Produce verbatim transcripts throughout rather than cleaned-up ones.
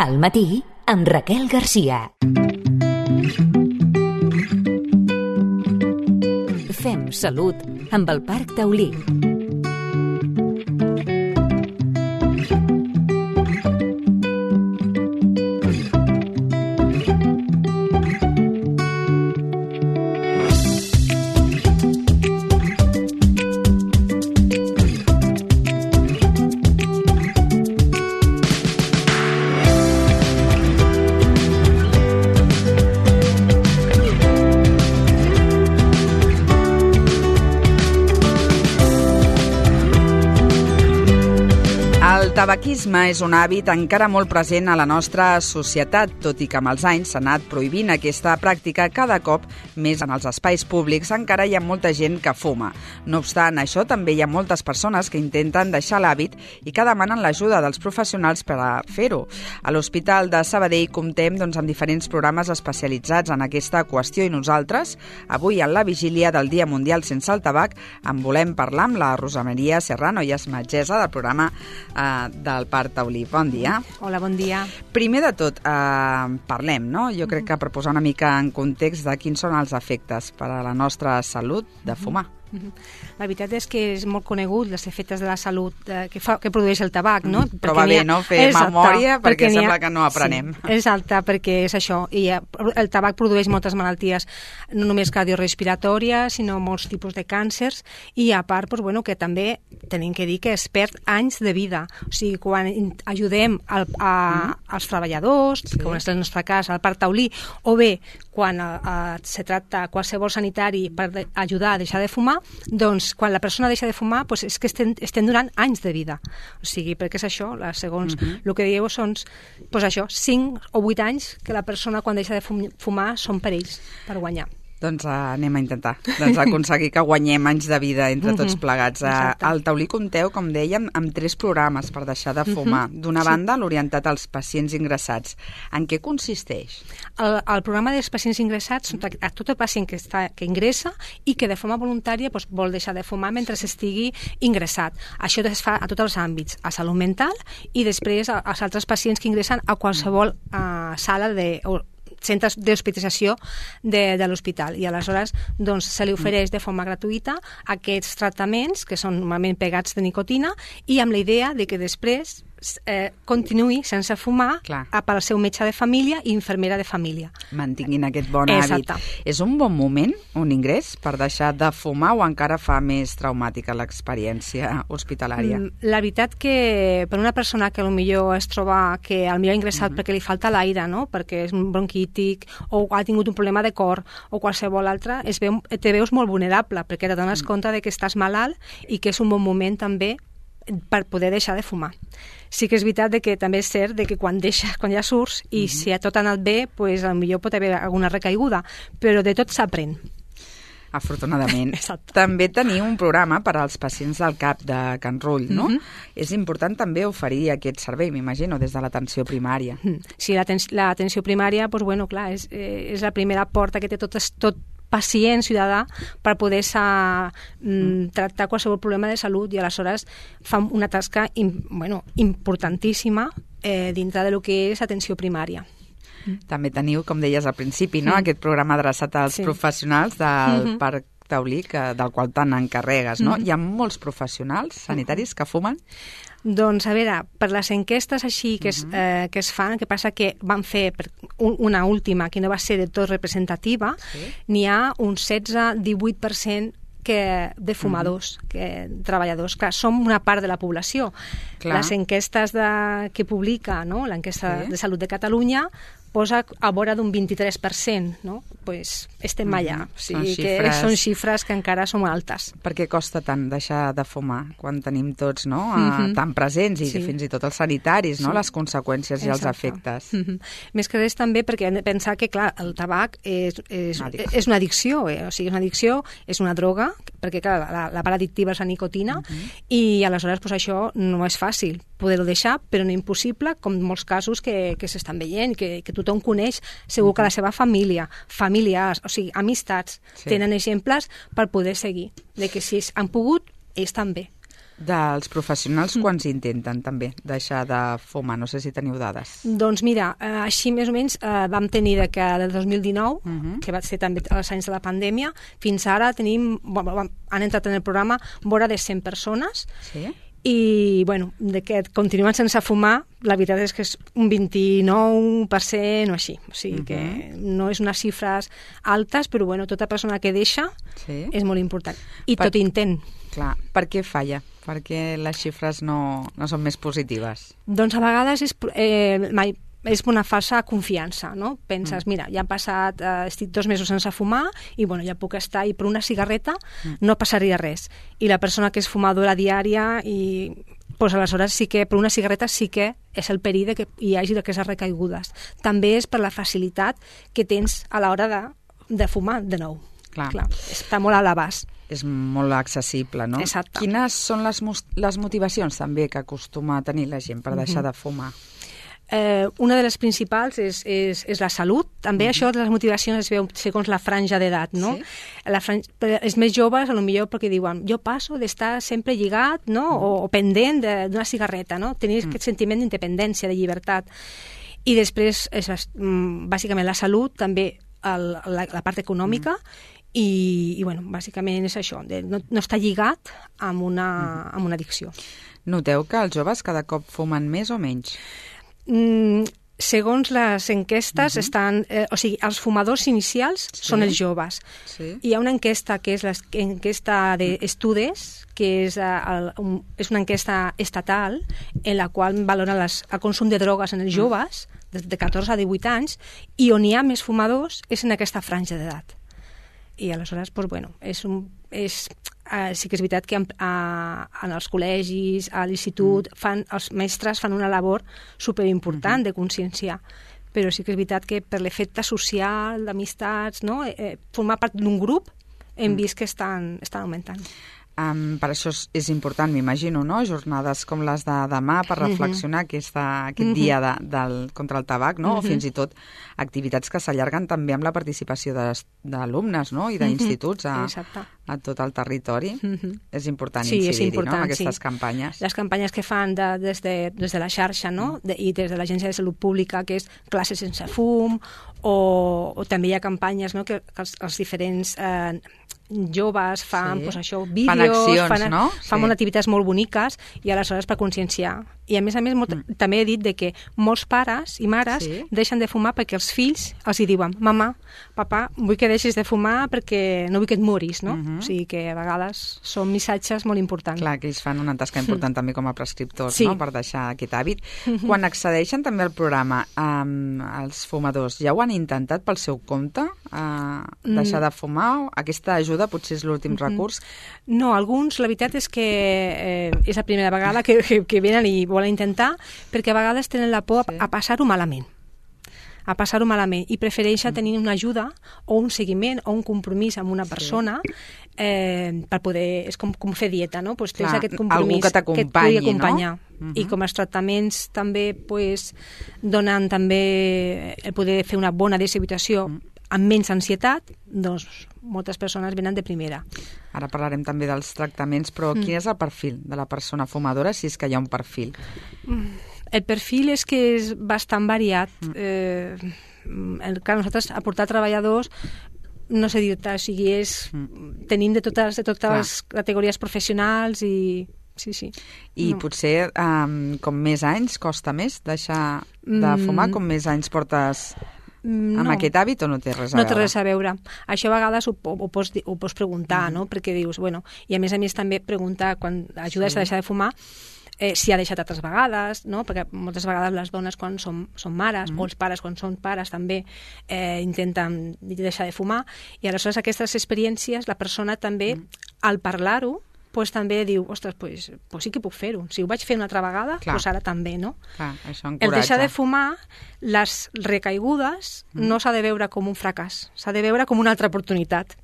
Al matí, amb Raquel Garcia. Fem salut amb el Parc Taulí. El tabaquisme és un hàbit encara molt present a la nostra societat, tot i que amb els anys s'ha anat prohibint aquesta pràctica cada cop més en els espais públics. Encara hi ha molta gent que fuma. No obstant això, també hi ha moltes persones que intenten deixar l'hàbit i que demanen l'ajuda dels professionals per a fer-ho. A l'Hospital de Sabadell comptem doncs, amb diferents programes especialitzats en aquesta qüestió i nosaltres, avui en la vigília del Dia Mundial sense el tabac, en volem parlar amb la Rosa Maria Serrano, i és metgessa del programa eh, del Parc Taulí. Bon dia. Hola, bon dia. Primer de tot, eh, parlem, no? Jo crec que per posar una mica en context de quins són els efectes per a la nostra salut de fumar. La veritat és que és molt conegut els efectes de la salut eh, que, fa, que produeix el tabac, no? Mm, però va bé, no?, fer exacte, memòria perquè, perquè sembla ha... que no aprenem. Sí, exacte, perquè és això. I el tabac produeix moltes malalties, no només cardiorrespiratòries, sinó molts tipus de càncers, i a part, doncs, bueno, que també tenim que dir que es perd anys de vida. O sigui, quan ajudem al, a, mm. als treballadors, sí. com és el nostre cas, al Parc Taulí, o bé quan a, a, se tracta qualsevol sanitari per de, ajudar a deixar de fumar, doncs quan la persona deixa de fumar doncs és que estem, estem donant anys de vida. O sigui, perquè és això, la, segons uh-huh. el que dieu són doncs això, cinc o vuit anys que la persona quan deixa de fumar són per ells, per guanyar. Doncs uh, anem a intentar doncs, aconseguir que guanyem anys de vida entre tots plegats. Uh, al Taulí compteu, com dèiem, amb tres programes per deixar de fumar. D'una banda, sí. l'orientat als pacients ingressats. En què consisteix? El, el programa dels pacients ingressats són a tot el pacient que, està, que ingressa i que de forma voluntària doncs, vol deixar de fumar mentre estigui ingressat. Això es fa a tots els àmbits, a salut mental i després als altres pacients que ingressen a qualsevol uh, sala de... O, centres d'hospitalització de, de l'hospital, i aleshores doncs, se li ofereix de forma gratuïta aquests tractaments que són normalment pegats de nicotina, i amb la idea de que després eh, continuï sense fumar Clar. pel seu metge de família i infermera de família. Mantinguin aquest bon Exacte. hàbit. És un bon moment, un ingrés, per deixar de fumar, o encara fa més traumàtica l'experiència hospitalària? La veritat que per una persona que potser es troba que potser ha ingressat uh-huh. perquè li falta l'aire, no? perquè és un bronquític o ha tingut un problema de cor o qualsevol altre, es veu, te veus molt vulnerable perquè te dones uh-huh. compte de que estàs malalt i que és un bon moment també per poder deixar de fumar. Sí que és veritat de que també és cert de que quan deixes, quan ja surts i uh-huh. si a tot ha anat bé, pues, potser pot haver alguna recaiguda, però de tot s'aprèn. Afortunadament. També teniu un programa per als pacients del C A P de Can Rull, no? Mm-hmm. És important també oferir aquest servei, m'imagino, des de l'atenció primària. Sí, l'atenció primària, doncs, bueno, clar, és, és la primera porta que té tot, tot pacient ciutadà per poder-se mm, tractar qualsevol problema de salut, i aleshores fa una tasca bueno, importantíssima eh, dintre del que és atenció primària. També teniu, com deies al principi, no? aquest programa adreçat als sí. professionals del mm-hmm. Parc Taulí, que, del qual tant encarregues, no? Mm-hmm. Hi ha molts professionals sanitaris que fumen? Doncs, a veure, per les enquestes així que es, eh, que es fan, que passa que van fer una última que no va ser de tot representativa, sí. n'hi ha un setze a divuit per cent que de fumadors, uh-huh. que treballadors. Clar, som una part de la població. Clar. Les enquestes de, que publica, no? l'enquesta sí. de Salut de Catalunya, posa a vora d'un vint-i-tres per cent, no? Pues estem allà. Mm-hmm. O sigui són, que xifres... són xifres que encara són altes. Per què costa tant deixar de fumar quan tenim tots, no? Mm-hmm. tan presents, i sí. fins i tot els sanitaris, no? Sí. Les conseqüències Exacte. i els efectes. Mm-hmm. Més que res també perquè hem de pensar que, clar, el tabac és, és, és una addicció, eh? O sigui, és una addicció, és una droga, perquè, clar, la, la part addictiva és la nicotina, mm-hmm. i aleshores pues, això no és fàcil poder-ho deixar, però no impossible, com molts casos que, que s'estan veient, que, que tothom coneix, segur que la seva família, familiars, o sigui, amistats, sí. tenen exemples per poder seguir, de que si han pogut, ells també. Dels professionals, quants intenten també deixar de fumar? No sé si teniu dades. Doncs mira, eh, així més o menys eh, vam tenir de que del dos mil dinou, uh-huh. que va ser també els anys de la pandèmia, fins ara tenim, bueno, han entrat en el programa vora de cent persones, sí? I, bueno, de que continuen sense fumar, la veritat és que és un vint-i-nou per cent o així. O sigui uh-huh. que no és unes xifres altes, però, bueno, tota persona que deixa sí. és molt important. I per... tot intent. Clar, per què falla? Per què les xifres no, no són més positives? Doncs a vegades és... Eh, mai, és una falsa confiança, no? Penses, mm. mira, ja han passat, eh, estic dos mesos sense fumar i, bueno, ja puc estar, i per una cigarreta mm. no passaria res. I la persona que és fumadora diària, i pues, aleshores sí que per una cigarreta sí que és el perill de que hi hagi d'aquestes recaigudes. També és per la facilitat que tens a l'hora de, de fumar de nou. Clar. Clar, està molt a l'abast. És molt accessible, no? Exacte. Quines són les, les motivacions també que acostuma a tenir la gent per deixar mm-hmm. de fumar? Eh, una de les principals és, és, és la salut. També mm-hmm. això de les motivacions es veu segons la franja d'edat, no? Sí? La franja, els més joves, potser perquè diuen jo passo d'estar sempre lligat, no? Mm. O, o pendent d'una cigarreta, no? Tenir mm. aquest sentiment d'independència, de llibertat. I després, és, bàsicament, la salut, també el, la, la part econòmica, mm. i, i bueno, bàsicament és això, de no, no estar lligat amb una, mm. amb una addicció. Noteu que els joves cada cop fumen més o menys? Mm, segons les enquestes, uh-huh. estan, eh, o sigui, els fumadors inicials sí. són els joves. Sí. Hi ha una enquesta que és l'enquesta d'estudis, que és, el, un, és una enquesta estatal en la qual valora les, el consum de drogues en els joves, de, de catorze a divuit anys, i on hi ha més fumadors és en aquesta franja d'edat. I aleshores, doncs, bueno, és un... És, Uh, sí que és veritat que en, uh, en els col·legis, a l'institut, mm. fan, els mestres fan una labor superimportant mm-hmm. de conscienciar, però sí que és veritat que per l'efecte social, d'amistats, no? eh, formar part d'un grup, hem mm. vist que estan, estan augmentant. Um, per això és, és important, m'imagino, no? Jornades com les de demà per reflexionar mm-hmm. aquesta, aquest mm-hmm. dia de, del, contra el tabac, no? Mm-hmm. O fins i tot activitats que s'allarguen també amb la participació d'alumnes, no? I d'instituts a, a tot el territori. Mm-hmm. És important sí, incidir-hi, important, no? En aquestes sí. campanyes. Les campanyes que fan de, des, de, des de la xarxa, no? De, i des de l'Agència de Salut Pública, que és classes sense fum, o, o també hi ha campanyes, no? que, que els, els diferents... Eh, joves fan, sí. pues això, vídeos, fan accions, fan, no? fan sí. activitats molt boniques i aleshores per conscienciar. I a més a més molt, mm. també he dit de que molts pares i mares sí. deixen de fumar perquè els fills els hi diuen mamà, papà, vull que deixis de fumar perquè no vull que et moris, no? Mm-hmm. O sigui que a vegades són missatges molt importants. Clar, que ells fan una tasca important mm. també com a prescriptors, sí. no? Per deixar aquest hàbit. Mm-hmm. Quan accedeixen també al programa, um, els fumadors ja ho han intentat pel seu compte, uh, deixar mm. de fumar? Aquesta ajuda potser és l'últim mm-hmm. recurs? No, alguns, la veritat és que eh, és la primera vegada que, que, que venen i volen intentar, perquè a vegades tenen la por sí. a passar-ho malament. a passar-ho malament i prefereixen tenir una ajuda o un seguiment o un compromís amb una persona sí. eh, per poder... És com, com fer dieta, no? Pues tens Clar, aquest compromís que, que et pugui acompanyar. No? I com els tractaments també pues, donen també el poder fer una bona deshabitació amb menys ansietat, doncs moltes persones venen de primera. Ara parlarem també dels tractaments, però mm. quin és el perfil de la persona fumadora, si és que hi ha un perfil? El perfil és que és bastant variat. Mm. Eh, el que nosaltres aportar treballadors no sé dir-te, o sigui, és, mm. tenim de totes, de totes les categories professionals i... Sí, sí. I no. potser um, com més anys costa més deixar de fumar, com més anys portes... amb no. aquest hàbit o no té res a no veure? No té res a veure. Això a vegades ho, ho, pots, ho pots preguntar, mm. no? Perquè dius, bueno, i a més a més també preguntar quan ajudes sí. a deixar de fumar eh, si ha deixat altres vegades, no? Perquè moltes vegades les dones quan són, són mares mm. o els pares quan són pares també eh, intenten deixar de fumar i aleshores aquestes experiències la persona també mm. al parlar-ho pues també diu, ostres, pues, pues sí que puc fer-ho. Si ho vaig fer una altra vegada, Clar. pues ara també, no? Clar, això encoratja. El deixar de fumar, les recaigudes, mm. no s'ha de veure com un fracàs, s'ha de veure com una altra oportunitat.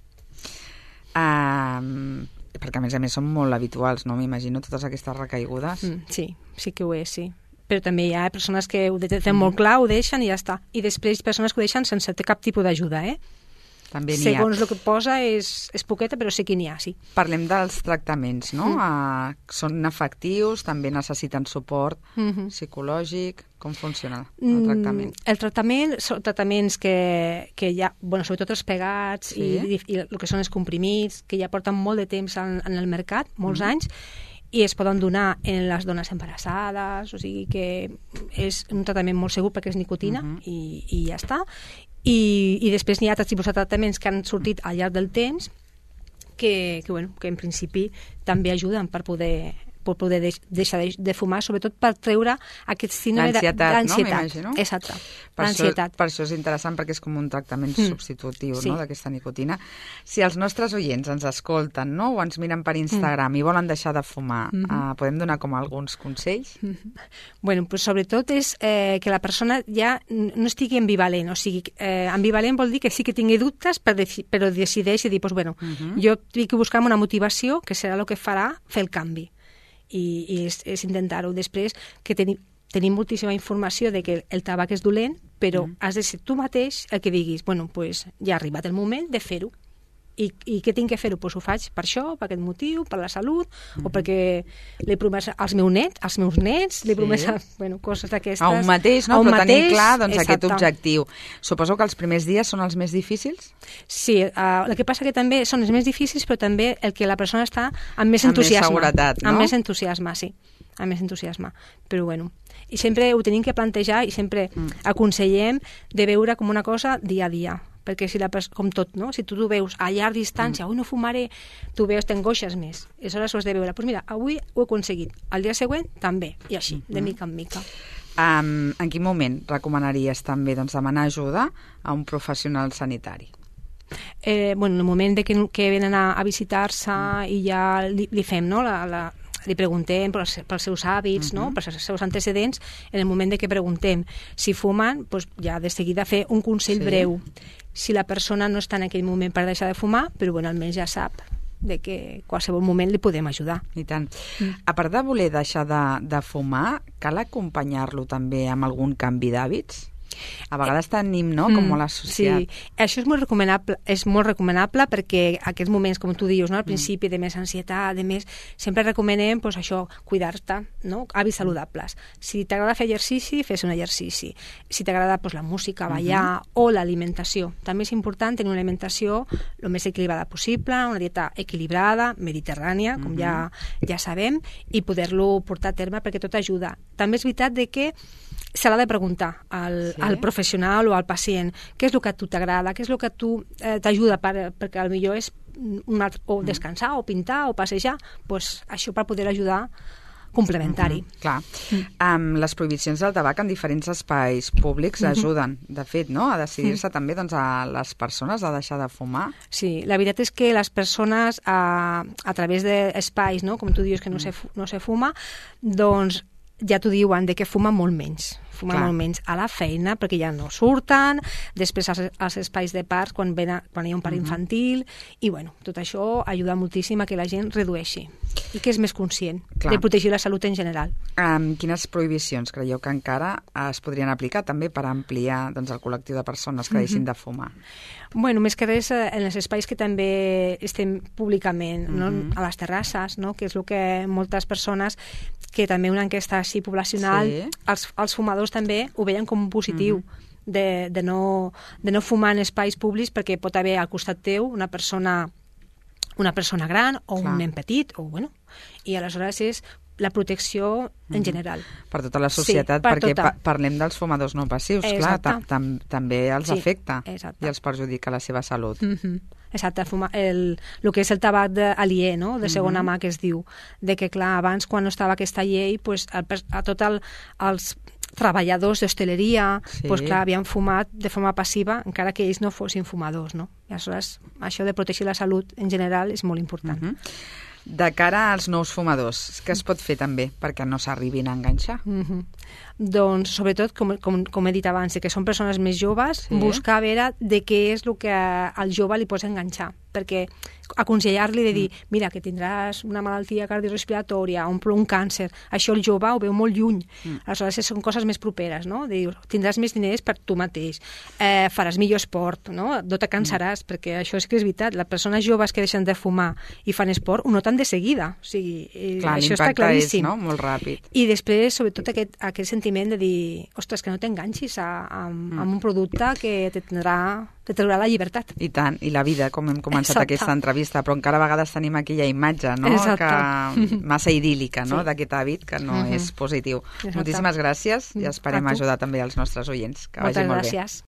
Um, perquè a més a més són molt habituals, no? M'imagino totes aquestes recaigudes. Mm, sí, sí que ho és, sí. Però també hi ha persones que ho tenen mm. molt clar, ho deixen i ja està. I després persones que ho deixen sense cap tipus d'ajuda, eh? També n'hi ha. Segons el que posa és, és poqueta, però sé que n'hi ha, sí. Parlem dels tractaments, no? Mm. Uh, són efectius, també necessiten suport Mm-hmm. psicològic. Com funciona el tractament? Mm, el tractament són tractaments que, que ja, bueno, sobretot els pegats Sí. i, i, i el que són els comprimits, que ja porten molt de temps en, en el mercat, molts Mm. anys, i es poden donar en les dones embarassades, o sigui que és un tractament molt segur perquè és nicotina Mhm. i, i ja està. I, i després n'hi ha altres tipus de tractaments que han sortit al llarg del temps que, que, bueno, que en principi també ajuden per poder per poder deix, deixar de, de fumar, sobretot per treure aquest síndrome L'ansietat, no? d'ansietat. M'imagino. Exacte, Per això, l'ansietat. per això és interessant, perquè és com un tractament Mm. substitutiu, Sí. no?, d'aquesta nicotina. Si els nostres oients ens escolten, no?, o ens miren per Instagram Mm. i volen deixar de fumar, Mm-hmm. uh, podem donar com alguns consells? Bueno, pues sobretot és eh, que la persona ja no estigui ambivalent, o sigui, eh, ambivalent vol dir que sí que tingui dubtes, però, deci però decideixi dir, pues, bueno, Mhm. jo tinc que buscar una motivació que serà el que farà fer el canvi. I, i és, és intentar-ho. Després, que tenim, tenim moltíssima informació de que el tabac és dolent, però Mm. has de ser tu mateix el que diguis, bueno, pues ja ha arribat el moment de fer-ho. I, I què tinc que fer-ho? Pues ho faig per això, per aquest motiu, per la salut, Mm-hmm. o perquè l'he promès als meus nets, als meus nets, l'he Sí. promès a, bueno, coses d'aquestes. A un mateix, no?, A un però tenir mateix, clar doncs, aquest exacte. objectiu. Suposo que els primers dies són els més difícils? Sí, uh, el que passa que també són els més difícils, però també el que la persona està amb més Amb més entusiasme. seguretat, no? Amb més entusiasme, sí. Amb més entusiasme. Però bueno, i sempre ho tenim que plantejar i sempre Mm. aconsellem de veure com una cosa dia a dia. Perquè si la pers- com tot, no? Si tu ho veus a llarg distància, Mm. avui no fumaré, tu veus, t'angoixes més. I aleshores ho has de veure. Doncs pues mira, avui ho he aconseguit. El dia següent també. I així, de mica en mica. Um, en quin moment recomanaries també doncs, demanar ajuda a un professional sanitari? Eh, bueno, en el moment de que, que venen a, a visitar-se i ja li, li fem, no?, la, la, li preguntem pels, pels seus hàbits, Mhm. no?, pels seus antecedents, en el moment de que preguntem si fumen, pues ja de seguida fer un consell Sí. breu. Si la persona no està en aquell moment per deixar de fumar, però bueno, almenys ja sap de que qualsevol moment li podem ajudar. I tant. Mm. A part de voler deixar de, de fumar, cal acompanyar-lo també amb algun canvi d'hàbits? A vegades tenim, no?, com molt associat. Sí, això és molt recomanable, és molt recomanable perquè aquests moments, com tu dius, no?, al principi de més ansietat, de més, sempre recomanem pues, això, cuidar-te, no?, hàbits saludables. Si t'agrada fer exercici, fes un exercici. Si t'agrada pues, la música, ballar, uh-huh. o l'alimentació. També és important tenir una alimentació el més equilibrada possible, una dieta equilibrada, mediterrània, com uh-huh. ja, ja sabem, i poder-lo portar a terme perquè tot ajuda. També és veritat de que se l'ha de preguntar al, Sí. al professional o al pacient què és el que a tu t'agrada, què és el que a tu eh, t'ajuda per, perquè potser és un altre, o descansar, o pintar, o passejar, pues, això per poder ajudar complementari. Mm-hmm, clar. Mm. Um, les prohibicions del tabac en diferents espais públics Mhm. ajuden, de fet, no?, a decidir-se també doncs, a les persones a deixar de fumar. Sí, la veritat és que les persones a, a través d'espais, no?, com tu dius que no, se, fu- no se fuma, doncs ja t'ho diuen, de que fumen molt menys. Fumen Clar. molt menys a la feina, perquè ja no surten, després als, als espais de parcs, quan, ven a, quan hi ha un parc Mhm. infantil, i bueno, tot això ajuda moltíssim a que la gent redueixi i que és més conscient Clar. de protegir la salut en general. Um, quines prohibicions creieu que encara es podrien aplicar també per ampliar doncs, el col·lectiu de persones que deixin de fumar? Bueno, més que res eh, en els espais que també estem públicament, no? Mhm. A les terrasses, no?, que és el que moltes persones, que també una enquesta així poblacional, Sí. els, els fumadors també ho veien com un positiu, de, de, no, de no fumar en espais públics perquè pot haver al costat teu una persona una persona gran o Clar. un nen petit, o bueno, i aleshores és la protecció en general. Per tota la societat, Sí, per perquè tota. pa parlem dels fumadors no passius, clar, Exacte. tam tam també els Sí, afecta exacte. i els perjudica la seva salut. Mm-hmm. Exacte, fuma, el, el que és el tabac de, aliè, no?, de segona Mhm. mà, que es diu, de que, clar, abans, quan no estava aquesta llei, pues, el, a tot el, els treballadors d'hostaleria, Sí. pues, clar, havien fumat de forma passiva, encara que ells no fossin fumadors, no? I aleshores, això de protegir la salut en general és molt important. Mhm. De cara als nous fumadors, què es pot fer també perquè no s'arribin a enganxar? Mm-hmm. doncs, sobretot, com, com, com he dit abans, que són persones més joves, sí. buscar a veure de què és el que al jove li pots enganxar, perquè aconsellar-li de dir, mm. mira, que tindràs una malaltia cardiorrespiratòria, un, un càncer, això el jove ho veu molt lluny, mm. aleshores són coses més properes, no? De dir, tindràs més diners per tu mateix, eh, faràs millor esport, no? No te cansaràs, mm. perquè això és que és veritat, les persones joves que deixen de fumar i fan esport ho noten de seguida, o sigui, clar, això està claríssim. És, no? Molt ràpid. I després, sobretot, aquest, aquest sentiment de dir, ostres, que no t'enganxis a, a, mm. a un producte que te tindrà te traurà la llibertat. I tant, i la vida, com hem començat Exacte. Aquesta entrevista, però encara a vegades tenim aquella imatge, no?, Exacte. que massa idíl·lica, no?, sí. d'aquest hàbit que no uh-huh. és positiu. Exacte. Moltíssimes gràcies i esperem ajudar també els nostres oients. Que vagi molt bé. Moltes gràcies.